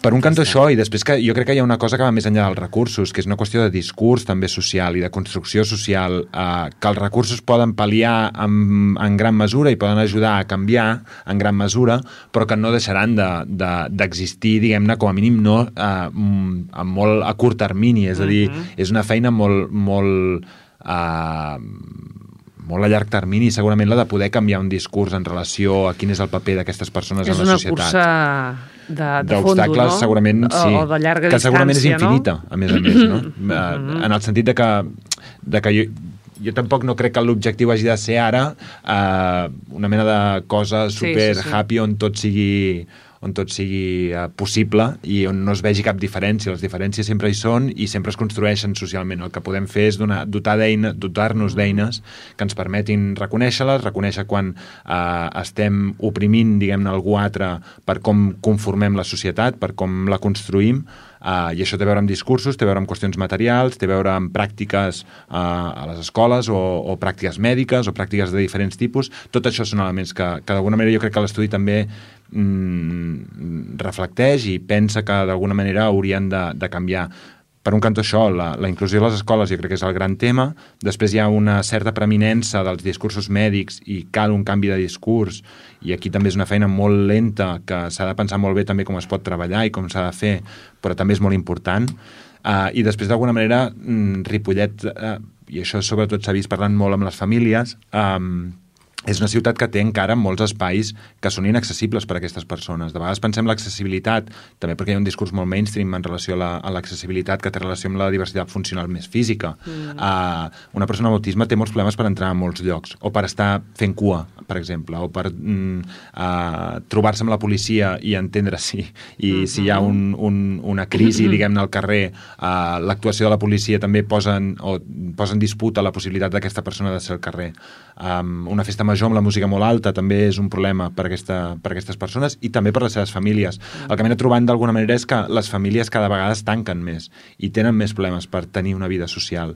Per un cantó això, i després que jo crec que hi ha una cosa que va més enllà dels recursos, que és una qüestió de discurs també social i de construcció social, que els recursos poden pal·liar en gran mesura i poden ajudar a canviar en gran mesura, però que no deixaran d'existir, diguem-ne, com a mínim no molt a curt termini, és a dir, és una feina molt a llarg termini, segurament la de poder canviar un discurs en relació a quin és el paper d'aquestes persones en la societat. És una cursa de fondo, no? Segurament sí, o de llarga que segurament és infinita, no? a més, no? En el sentit de que jo tampoc no crec que l'objectiu hagi de ser ara una mena de cosa super happy on tot sigui possible i on no es vegi cap diferència. Les diferències sempre hi són i sempre es construeixen socialment. El que podem fer és dotar-nos d'eines que ens permetin reconèixer-les, reconèixer quan estem oprimint, diguem-ne, algú altre per com conformem la societat, per com la construïm, i això té a veure amb discursos, té a veure amb qüestions materials, té a veure amb pràctiques a les escoles o pràctiques mèdiques o pràctiques de diferents tipus. Tot això són elements que d'alguna manera jo crec que l'estudi també reflecteix i pensa que d'alguna manera haurien de canviar. Per un cantó això, la inclusió a les escoles jo crec que és el gran tema. Després hi ha una certa preeminença dels discursos mèdics i cal un canvi de discurs, i aquí també és una feina molt lenta que s'ha de pensar molt bé també com es pot treballar i com s'ha de fer, però també és molt important. I després d'alguna manera Ripollet, i això sobretot s'ha vist parlant molt amb les famílies, és una ciutat que té encara molts espais que són inaccessibles per a aquestes persones. De vegades pensem l'accessibilitat, també perquè hi ha un discurs molt mainstream en relació a l'accessibilitat que té relació amb la diversitat funcional més física. Una persona amb autisme té molts problemes per entrar a molts llocs, o per estar fent cua, per exemple, o per trobar-se amb la policia i entendre si hi ha una crisi, diguem-ne, al carrer. L'actuació de la policia també posa en disputa la possibilitat d'aquesta persona de ser al carrer. Una festa major amb la música molt alta també és un problema per aquestes persones i també per les seves famílies. El que m'he anat trobant d'alguna manera és que les famílies cada vegada es tanquen més i tenen més problemes per tenir una vida social,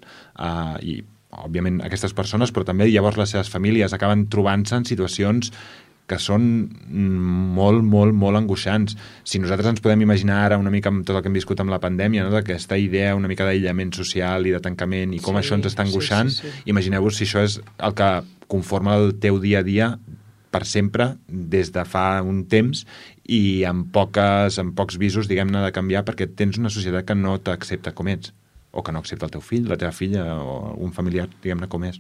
i òbviament aquestes persones, però també llavors les seves famílies acaben trobant-se en situacions que són molt, molt, molt angoixants. Si nosaltres ens podem imaginar ara una mica amb tot el que hem viscut amb la pandèmia, no? D'aquesta idea una mica d'aïllament social i de tancament i com això ens està angoixant, imagineu-vos si això és el que conforma el teu dia a dia per sempre des de fa un temps i amb pocs visos, diguem-ne, de canviar, perquè tens una societat que no t'accepta com ets, o que no accepta el teu fill, la teva filla o un familiar, diguem-ne, com és.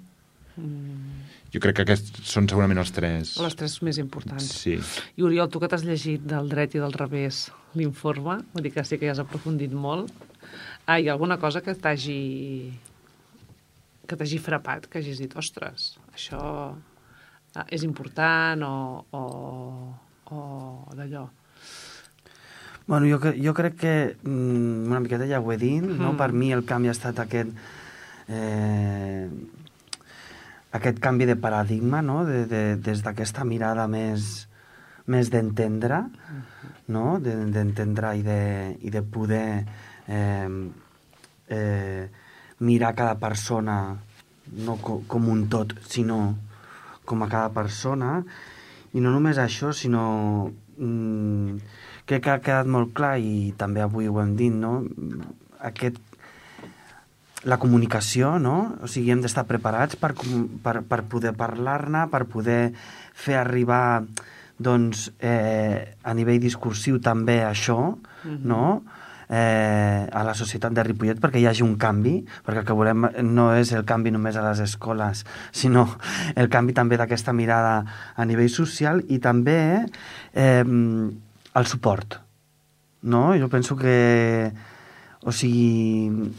Jo crec que aquests són segurament els tres... Les tres més importants. Sí. I Oriol, tu que t'has llegit del dret i del revés l'informe, vull dir que sí que ja has aprofundit molt, hi ha alguna cosa que t'hagi frapat, que hagis dit, ostres, això és important o d'allò? Bueno, jo crec que una miqueta ja ho he dit, no? Per mi el canvi ha estat aquest canvi de paradigma, no? Des d'aquesta mirada més d'entendre, no? D'entendre i de poder mirar cada persona no com un tot, sinó com a cada persona, i no només això, sinó crec que ha quedat molt clar, i també avui ho hem dit, no? La comunicació, no? O sigui, hem d'estar preparats per poder parlar-ne, per poder fer arribar, doncs, a nivell discursiu també això, no? A la societat de Ripollet, perquè hi hagi un canvi, perquè el que volem no és el canvi només a les escoles, sinó el canvi també d'aquesta mirada a nivell social i també el suport, no? Jo penso que, o sigui,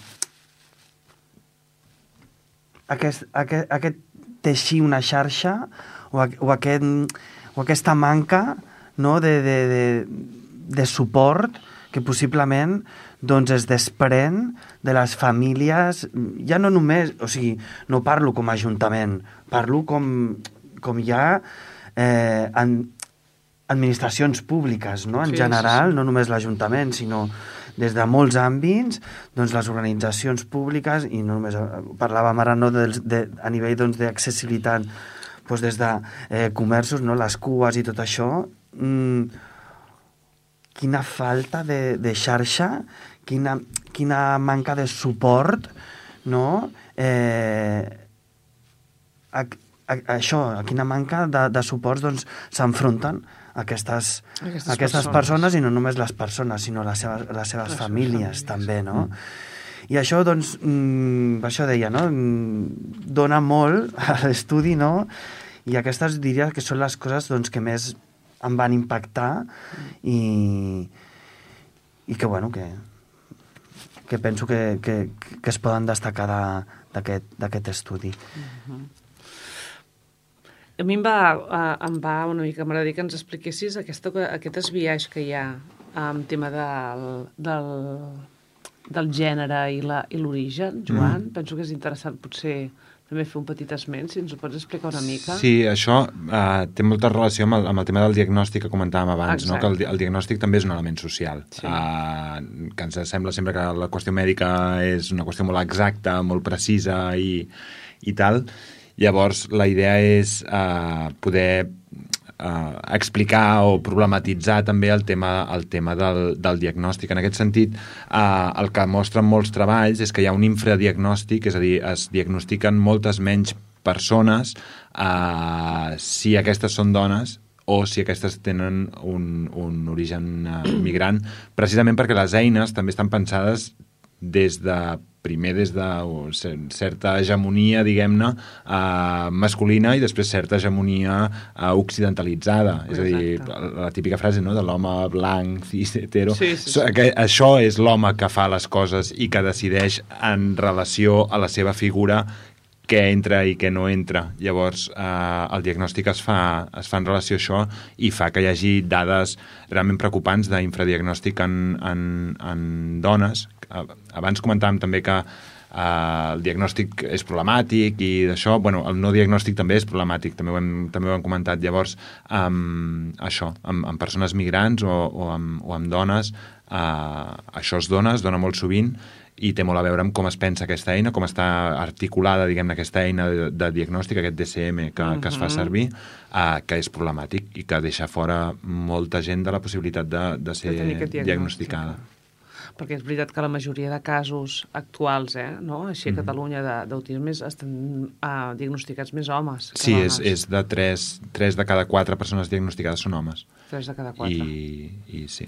aquest teixir una xarxa o aquesta manca, no, de suport que possiblement doncs es desprèn de les famílies, ja no només, o sigui, no parlo com a ajuntament, parlo com ja administracions públiques, no? En general, no només l'Ajuntament, sinó des de molts àmbits, doncs les organitzacions públiques, i no només parlàvem ara no, a nivell doncs, d'accessibilitat, doncs des de comerços, no, les cues i tot això, quina falta de xarxa, quina manca de suport, no? Això, quina manca de suports doncs, s'enfronten aquestes persones, i no només les persones, sinó les seves famílies també, no? I això, doncs, això deia, no? Dona molt a l'estudi, no? I aquestes diria que són les coses doncs, que més em van impactar i que, bueno, que penso que es poden destacar d'aquest estudi. A mi em va una mica, m'agradaria que ens expliquessis aquest esbiaix que hi ha en tema del gènere i l'origen, Joan. Penso que és interessant potser també fer un petit esment, si ens ho pots explicar una mica. Sí, això té molta relació amb el tema del diagnòstic que comentàvem abans, no? Que el diagnòstic també és un element social, sí. Que ens sembla sempre que la qüestió mèdica és una qüestió molt exacta, molt precisa i tal. Llavors, la idea és poder explicar o problematitzar també el tema del diagnòstic. En aquest sentit, el que mostren molts treballs és que hi ha un infradiagnòstic, és a dir, es diagnostiquen moltes menys persones si aquestes són dones o si aquestes tenen un origen migrant, precisament perquè les eines també estan pensades des de certa hegemonia, diguem-ne, masculina, i després certa hegemonia occidentalitzada. És a dir, la típica frase, no?, de l'home blanc, cis, hetero. Sí. Això és l'home que fa les coses i que decideix en relació a la seva figura què entra i què no entra. Llavors, el diagnòstic es fa en relació a això i fa que hi hagi dades realment preocupants d'infradiagnòstic en dones. Abans comentàvem també que el diagnòstic és problemàtic i d'això, bueno, el no diagnòstic també és problemàtic, també ho hem comentat. Llavors, això, amb persones migrants o amb dones, això es dona molt sovint, i té molt a veure amb com es pensa aquesta eina, com està articulada, diguem-ne, aquesta eina de diagnòstic, aquest DCM que es fa servir, que és problemàtic i que deixa fora molta gent de la possibilitat de ser diagnosticada. Perquè és veritat que la majoria de casos actuals, no? Així a Catalunya, d'autisme, estan diagnosticats més homes que dones. Sí, és de 3 de cada 4 persones diagnosticades són homes. 3 de cada 4. I sí.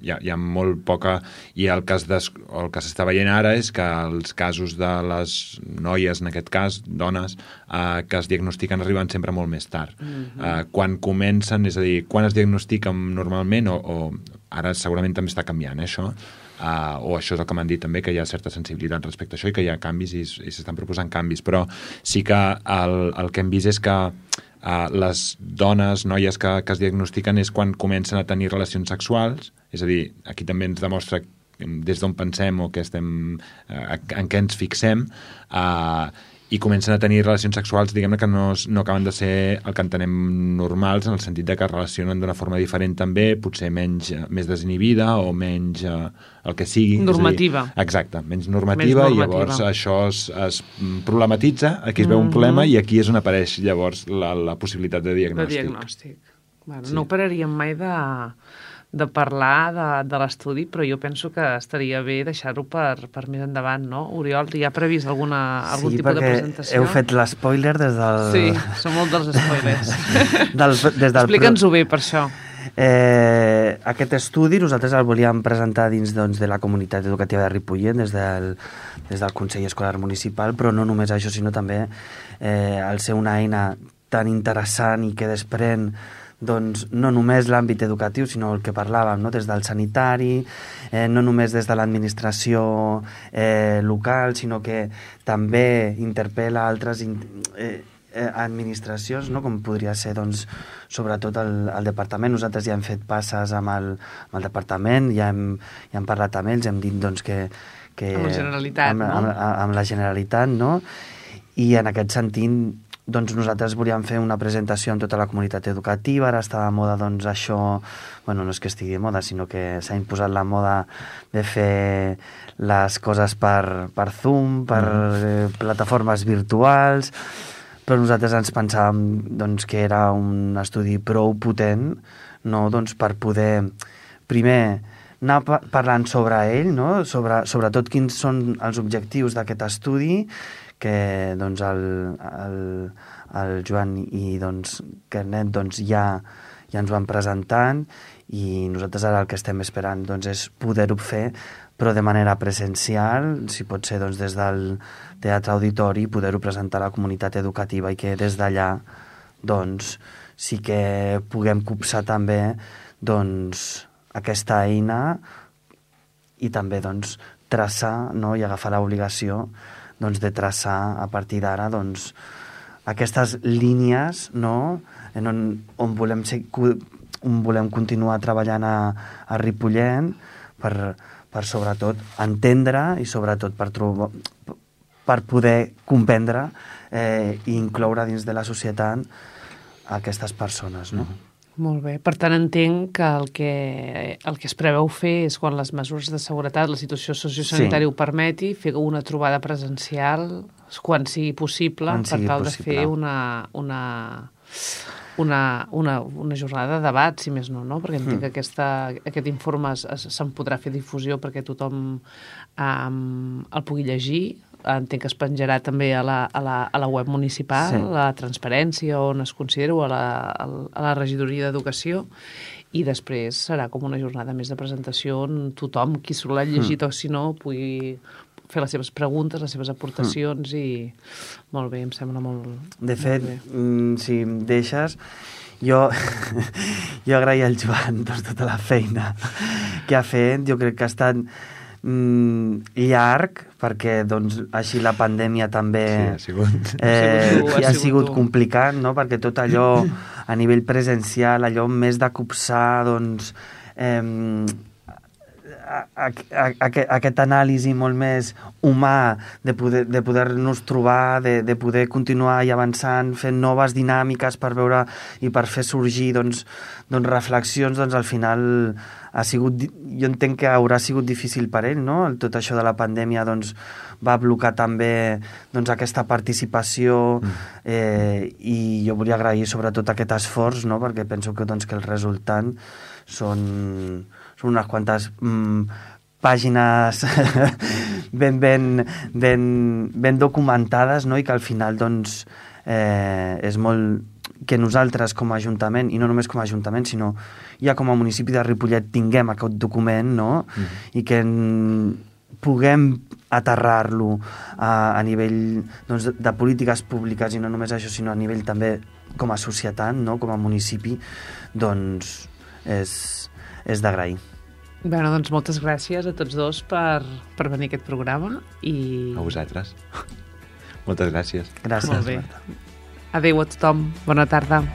Hi ha molt poca, i el que s'està veient ara és que els casos de les noies, en aquest cas, dones, que es diagnostiquen arriben sempre molt més tard. Quan comencen, és a dir, quan es diagnostiquen normalment, o ara segurament també està canviant, això, o això és el que m'han dit també, que hi ha certa sensibilitat respecte a això i que hi ha canvis i s'estan proposant canvis, però sí que el que hem vist és que les dones, noies que es diagnostiquen és quan comencen a tenir relacions sexuals, és a dir, aquí també ens demostra des d'on pensem o en què ens fixem, i comencen a tenir relacions sexuals, diguem-ne, que no acaben de ser el que entenem normals, en el sentit de que es relacionen d'una forma diferent també, potser més desinhibida o menys el que sigui. Normativa. Exacte, menys normativa, i llavors això es problematitza, aquí es veu un problema i aquí és on apareix llavors la possibilitat de diagnòstic. Bueno, sí. No pararíem mai de parlar de l'estudi, però jo penso que estaria bé deixar-ho per més endavant, no? Oriol, ja ha previst algun tipus de presentació? Sí, perquè heu fet l'spoiler des del... Sí, som molt dels spoilers. Explica'ns-ho bé, per això. Aquest estudi nosaltres el volíem presentar dins de la comunitat educativa de Ripollet, des del Consell Escolar Municipal, però no només això, sinó també al ser una eina tan interessant i que desprèn doncs, no només l'àmbit educatiu, sinó el que parlàvem, no? Des del sanitari, no només des de l'administració local, sinó que també interpel·la altres administracions, no? Com podria ser, doncs, sobretot el departament. Nosaltres ja hem fet passes amb el departament, ja hem parlat amb ells, hem dit doncs, que amb la Generalitat, amb la Generalitat, no? I en aquest sentit doncs nosaltres volíem fer una presentació amb tota la comunitat educativa, ara està de moda doncs això, bueno, no és que estigui de moda, sinó que s'ha imposat la moda de fer les coses per Zoom, per plataformes virtuals, però nosaltres ens pensàvem doncs, que era un estudi prou potent, no? Doncs per poder, primer, anar parlant sobre ell, no? Sobretot quins són els objectius d'aquest estudi, que doncs, el Joan i doncs, Carnet doncs, ja ens van presentant, i nosaltres ara el que estem esperant doncs, és poder-ho fer, però de manera presencial, si pot ser doncs, des del Teatre Auditori, poder-ho presentar a la comunitat educativa i que des d'allà doncs, sí que puguem copsar també doncs, aquesta eina i també doncs, traçar, no? I agafar l'obligació doncs, de traçar a partir d'ara doncs, aquestes línies, no? on volem continuar treballant a Ripollet per sobretot entendre i sobretot per poder comprendre i incloure dins de la societat aquestes persones, no? Molt bé. Per tant, entenc que el que es preveu fer és, quan les mesures de seguretat, la situació sociosanitària ho permeti, fer una trobada presencial quan sigui possible, per tal de fer una jornada de debat, si més no? Perquè entenc que aquest informe se'n podrà fer difusió perquè tothom el pugui llegir. Entenc que es penjarà també a la web municipal, a la Transparència, on es considera, o a la Regidoria d'Educació, i després serà com una jornada més de presentació on tothom, qui s'ho l'ha llegit o si no, pugui fer les seves preguntes, les seves aportacions, i molt bé, em sembla molt... De fet, si em deixes, jo agrair al Joan tota la feina que ha fet. Jo crec que ha estat llarg, perquè doncs, així la pandèmia també ha sigut complicat, no? Perquè tot allò a nivell presencial, allò més de copsar doncs, aquest anàlisi molt més humà de poder-nos trobar, de poder continuar i avançant, fent noves dinàmiques per veure i per fer sorgir doncs reflexions, doncs al final ha sigut, jo entenc que haurà sigut difícil per ell, no? Tot això de la pandèmia doncs, va blocar també doncs, aquesta participació, i jo volia agrair sobretot aquest esforç, no? Perquè penso que, doncs, que el resultat són unes quantes pàgines ben documentades, no? I que al final doncs, és molt que nosaltres com a Ajuntament, i no només com a Ajuntament, sinó ja com a municipi de Ripollet, tinguem aquest document, no? I que puguem aterrar-lo a nivell doncs, de polítiques públiques, i no només això, sinó a nivell també com a societat, no? Com a municipi, doncs és d'agrair. Bé, doncs moltes gràcies a tots dos per venir a aquest programa. A vosaltres. Moltes gràcies. Gràcies. Molt bé. Adéu a tothom. Bona tarda.